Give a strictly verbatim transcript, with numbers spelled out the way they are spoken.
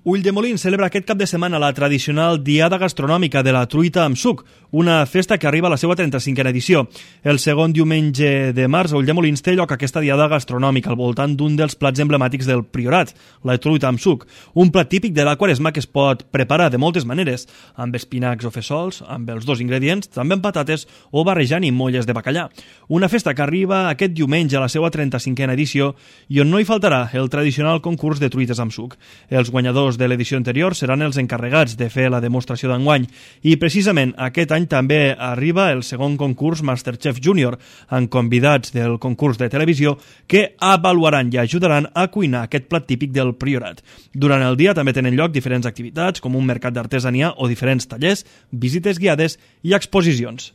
Ulldemolins celebra aquest cap de setmana la tradicional Diada Gastronòmica de la Truita amb Suc, una festa que arriba a la seva trenta-cinquena edició. El segon diumenge de març a Ulldemolins té lloc aquesta Diada Gastronòmica al voltant d'un dels plats emblemàtics del Priorat, la truita amb suc, un plat típic de la Quaresma que es pot preparar de moltes maneres, amb espinacs o fesols, amb els dos ingredients, també amb patates o barrejant i molles de bacallà. Una festa que arriba aquest diumenge a la seva trenta-cinquena edició i on no hi faltarà el tradicional concurs de truites amb suc. Els guanyadors de l'edició anterior seran els encarregats de fer la demostració d'enguany i precisament aquest any també arriba el segon concurs Masterchef Junior amb convidats del concurs de televisió que avaluaran i ajudaran a cuinar aquest plat típic del Priorat. Durant el dia també tenen lloc diferents activitats com un mercat d'artesania o diferents tallers, visites guiades i exposicions.